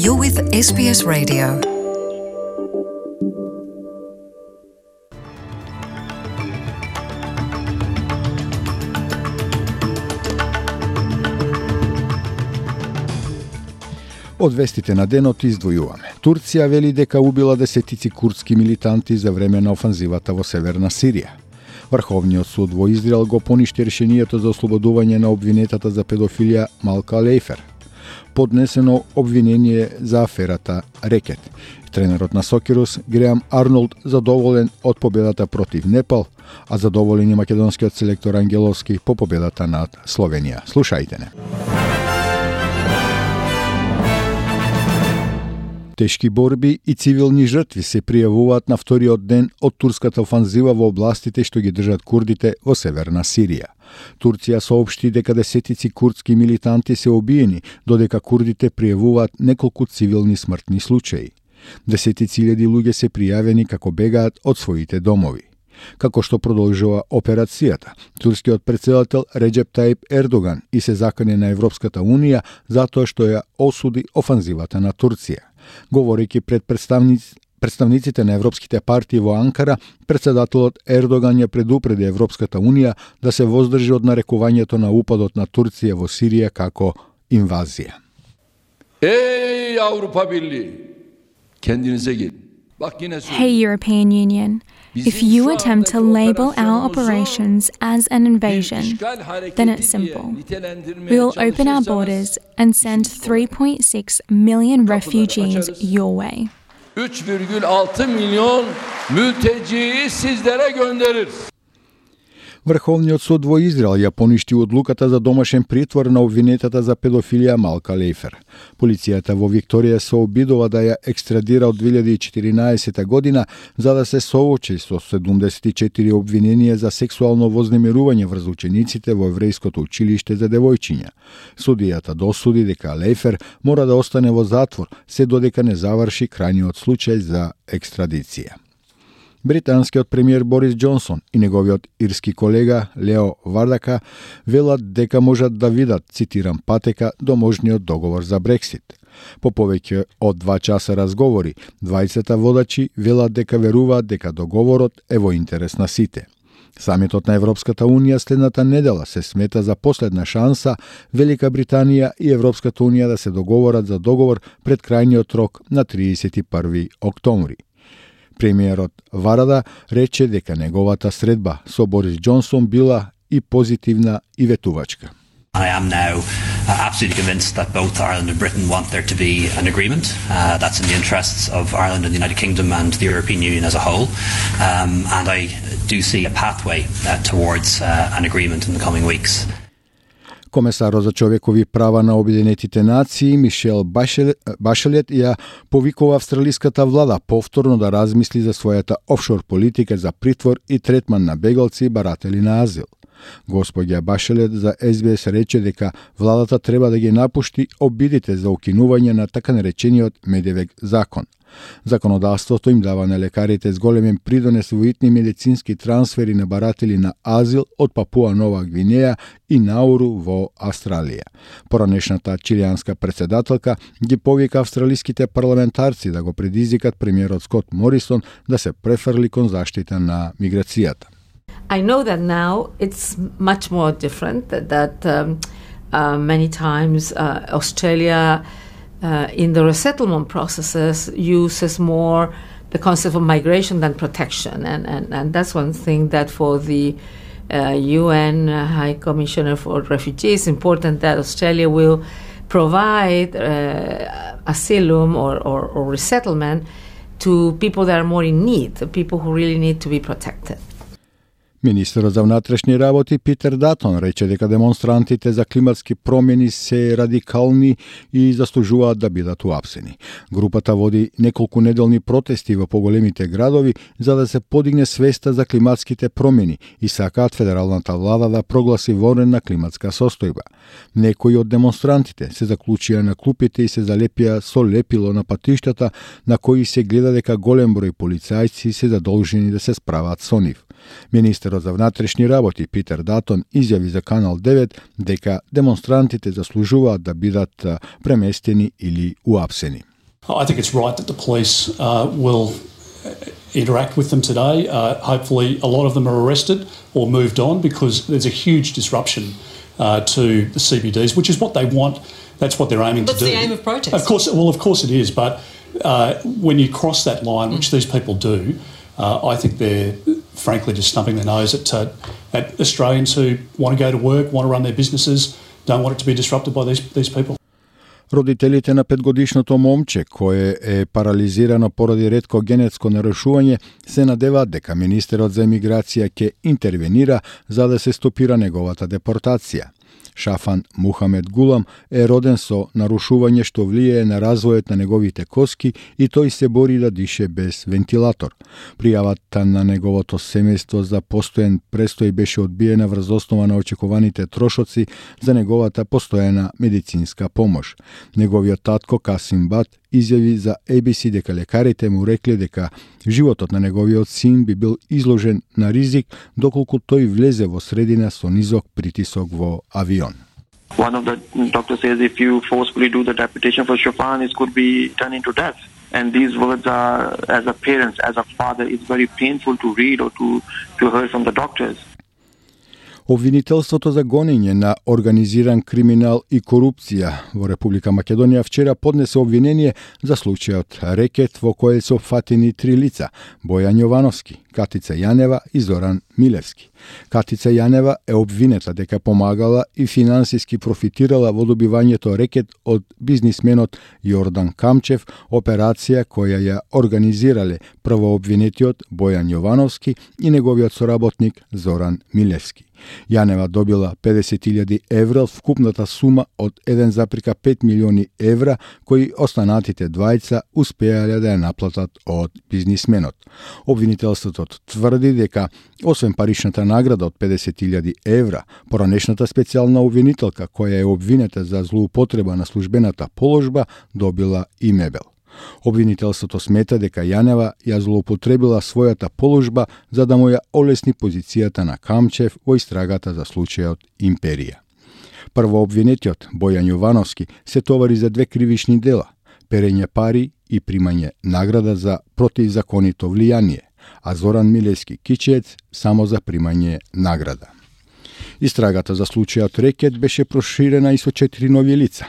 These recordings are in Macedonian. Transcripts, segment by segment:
You're with SBS Radio. Од вестите на денот издвојуваме. Турција вели дека убила десетици курдски милитанти за време на офанзивата во Северна Сирија. Врховниот суд во Израел го поништи решението за ослободување на обвинетата за педофилија Малка Лейфер. Поднесено обвинение за аферата Рекет. Тренерот на Сокерус Греам Арнолд задоволен од победата против Непал, а задоволен и македонскиот селектор Ангеловски по победата над Словенија. Слушајте не. Тешки борби и цивилни жртви се пријавуваат на вториот ден од турската офанзива во областите што ги држат курдите во Северна Сирија. Турција соопшти дека десетици курдски милитанти се убиени, додека курдите пријавуваат неколку цивилни смртни случаи. Десетици илјади луѓе се пријавени како бегаат од своите домови. Како што продолжува операцијата, турскиот председател Реджеп Таип Ердоган и се закани на Европската Унија затоа што ја осуди офанзивата на Турција. Говорејќи пред представниците на европските партии во Анкара, председателот Ердоган ја предупреди Европската Унија да се воздржи од нарекувањето на упадот на Турција во Сирија како инвазија. Ей Авропа Birliği, kendinize gelin. Hey European Union, if you attempt to label our operations as an invasion, then it's simple. We will open our borders and send 3.6 million refugees your way. 3,6 milyon mülteciyi sizlere göndeririz. Врховниот суд во Израел ја поништи одлуката за домашен притвор на обвинетата за педофилија Малка Лейфер. Полицијата во Викторија се обидува да ја екстрадира од 2014 година за да се соочи со 74 обвиненија за сексуално вознемирување врз учениците во еврејското училиште за девојчиња. Судијата досуди дека Лейфер мора да остане во затвор се додека не заврши крајниот случај за екстрадиција. Британскиот премиер Борис Џонсон и неговиот ирски колега Лео Вардака велат дека можат да видат, цитирам, патека до можниот договор за Брексит. По повеќе од 2 часа разговори, двајцата водачи велат дека веруваат дека договорот е во интерес на сите. Самитот на Европската Унија следната недела се смета за последна шанса Велика Британија и Европската Унија да се договорат за договор пред крајниот рок на 31 октомври. Премиерот Варада рече дека неговата средба со Борис Џонсон била и позитивна и ветувачка. I am now absolutely convinced that both Ireland and Britain want there to be an agreement. That's in the interests of Ireland and the United Kingdom and the European Union as a whole. And I do see a pathway towards an agreement in the coming weeks. Комесарот за човекови права на Обединетите нации Мишел Башелет ја повикува австралиската влада повторно да размисли за својата офшор политика за притвор и третман на бегалци и баратели на азил. Господја Башелет за СБС рече дека владата треба да ги напушти обидите за укинување на така наречениот Медевек закон. Законодавството им дава на лекарите с големен придонес во итни медицински трансфери на баратели на азил од Папуа Нова Гвинеја и Науру во Австралија. Поранешната чилијанска председателка ги повика австралиските парламентарци да го предизвикат премиерот Скот Морисон да се префрли кон заштита на миграцијата. I know that now it's much more different, that many times Australia in the resettlement processes uses more the concept of migration than protection. And that's one thing that for the UN High Commissioner for Refugees, important that Australia will provide asylum or resettlement to people that are more in need, people who really need to be protected. Министерот за внатрешни работи Питер Датон рече дека демонстрантите за климатски промени се радикални и заслужуваат да бидат уапсени. Групата води неколку неделни протести во поголемите градови за да се подигне свеста за климатските промени и сакаат федералната влада да прогласи вонредна климатска состојба. Некои од демонстрантите се заклучија на клупите и се залепија со лепило на патиштата на кои се гледа дека голем број полицајци се задолжени да се справат со нив. Министерот за внатрешни работи Питер Датон изјави за Канал 9 дека демонстрантите заслужуваат да бидат преместени или уапсени. I think it's right that the police will interact with them today. Hopefully a lot of them are arrested or moved on, because there's a huge disruption to the CBDs, which is what they want. That's what they're aiming to do. That's the aim of protest. Of course it is, but when you cross that line, which these people do, I think they're frankly just stumping their nose at Australians who want to go to work, want to run their businesses, don't want it to be disrupted by these people. Родителите на 5-годишното момче, кое е парализирано поради ретко генетско нарушување, се надеваат дека министерот за емиграција ќе интервенира за да се стопира неговата депортација. Шафан Мухамед Гулам е роден со нарушување што влијае на развојот на неговите коски и тој се бори да дише без вентилатор. Пријавата на неговото семејство за постојан престој беше одбиена врз основа на очекуваните трошоци за неговата постојана медицинска помош. Неговиот татко Касим Бат изјави за ABC дека лекарите му рекле дека животот на неговиот син би бил изложен на ризик доколку тој влезе во средина со низок притисок во авион. One of the doctors says if you forcefully do the deportation for Shafan, it could be turned into death. And these words are, as a parent, as a father, it's very painful to read or to hear from the doctors. Обвинителството за гонење на организиран криминал и корупција во Република Македонија вчера поднесе обвинение за случајот рекет во кој се опфатени 3 лица: Бојан Јовановски, Катица Јанева и Зоран Милевски. Катица Јанева е обвинета дека помагала и финансиски профитирала во добивањето рекет од бизнисменот Јордан Камчев, операција која ја организирале првообвинетиот Бојан Јовановски и неговиот соработник Зоран Милевски. Јанева добила 50.000 евра од вкупната сума од 1,5 милиони евра кои останатите двајца успеале да ја наплатат од бизнисменот. Обвинителството тврди дека освен паричната награда од 50.000 евра, поранешната специјална обвинителка која е обвинета за злоупотреба на службената положба добила и мебел. Обвинителството смета дека Јанева ја злоупотребила својата положба за да му ја олесни позицијата на Камчев во истрагата за случајот Империја. Првообвинетиот Бојан Јовановски се товари за 2 кривични дела: перење пари и примање награда за противзаконито влијание, а Зоран Милевски Кичиец само за примање награда. Истрагата за случајот рекет беше проширена и со 4 нови лица,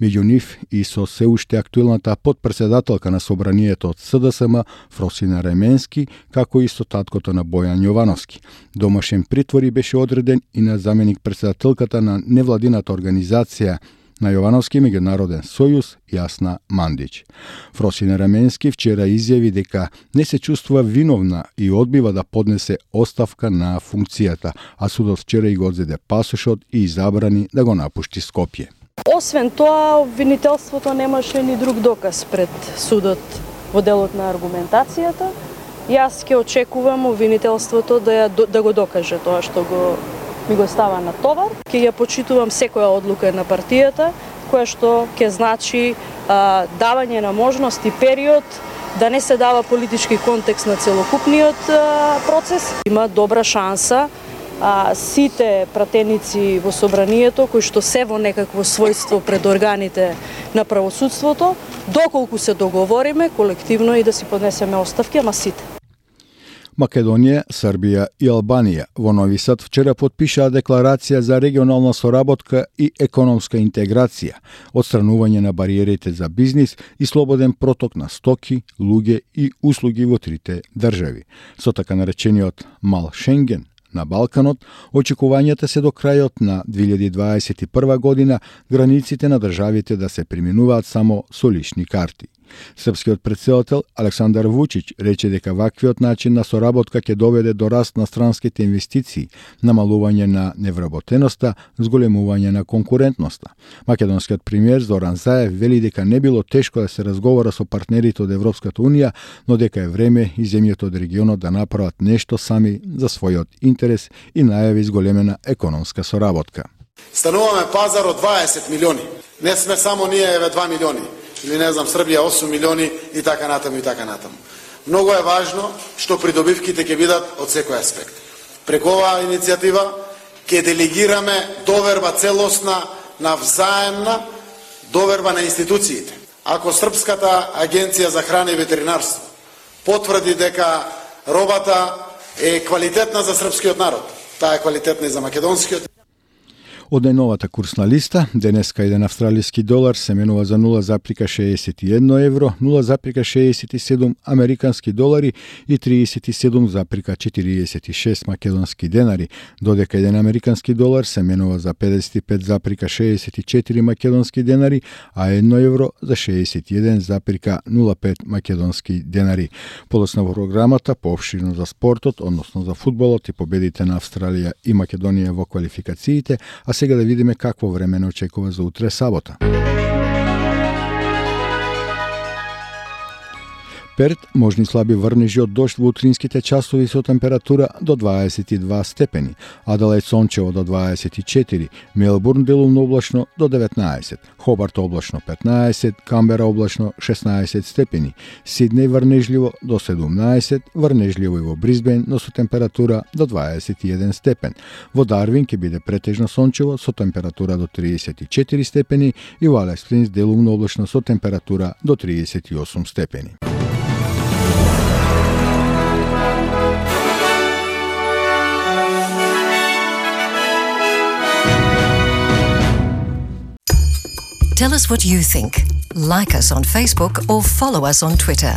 меѓу нив и со се уште актуелната подпредседателка на собранието од СДСМ Фросина Ременски, како и со таткото на Бојан Јовановски. Домашен притвор беше одреден и на заменик председателката на невладината организација на Јовановски меѓународен сојуз Јасна Мандич. Фросина Раменски вчера изјави дека не се чувствува виновна и одбива да поднесе оставка на функцијата, а судот вчера и го одзеде пасошот и забрани да го напушти Скопје. Освен тоа, обвинителството немаше ни друг доказ пред судот во делот на аргументацијата. Јас ќе очекувам обвинителството да го докаже тоа што ми го става на товар. Ќе ја почитувам секоја одлука на партијата, која што ќе значи давање на можност и период да не се дава политички контекст на целокупниот процес. Има добра шанса сите пратеници во собранието, кои што се во некакво својство пред органите на правосудството, доколку се договориме колективно и да си поднесеме оставки, ама сите. Македонија, Србија и Албанија во Нови Сад вчера потпишаа декларација за регионална соработка и економска интеграција, отстранување на бариерите за бизнис и слободен проток на стоки, луѓе и услуги во трите држави. Со така наречениот Мал Шенген на Балканот, очекувањата се до крајот на 2021 година границите на државите да се преминуваат само со лични карти. Српскиот претседател Александар Вучич рече дека ваквиот начин на соработка ќе доведе до раст на странските инвестиции, намалување на невработеноста, зголемување на конкурентноста. Македонскиот премиер Зоран Заев вели дека не било тешко да се разговара со партнерите од Европската унија, но дека е време и земјите од регионот да направат нешто сами за својот интерес и најави зголемена економска соработка. Стануваме пазар од 20 милиони. Не сме само ние 2 милиони. Или не знам, Србија 8 милиони и така натаму и така натаму. Многу е важно што придобивките ќе бидат од секој аспект. Преку оваа иницијатива ќе делегираме доверба целосна на взаемна доверба на институциите. ако Српската агенција за храна и ветеринарство потврди дека робата е квалитетна за српскиот народ, таа е квалитетна и за македонскиот. Од најновата курсна листа, денеска еден австралиски долар се менува за 0,61 евро, 0,67 американски долари и 37,46 македонски денари, додека еден американски долар се менува за 55,64 македонски денари, а 1 евро за 61,05 македонски денари. Подоцна во програмата поопширно за спортот, односно за фудбалот и победите на Австралија и Македонија во квалификациите, а сега да видиме какво време не очекува за утре сабота. Перт можни слаби врнежи од дожд во утринските часови со температура до 22 степени, Аделаид сончево до 24, Мелбурн делумно облачно до 19, Хобарт облачно 15, Камбера облачно 16 степени, Сиднеј врнежливо до 17, врнежливо и во Брисбен, но со температура до 21 степен. Во Дарвин ќе биде претежно сончево со температура до 34 степени и во Алиас Спрингс делумно облачно со температура до 38 степени. Tell us what you think. Like us on Facebook or follow us on Twitter.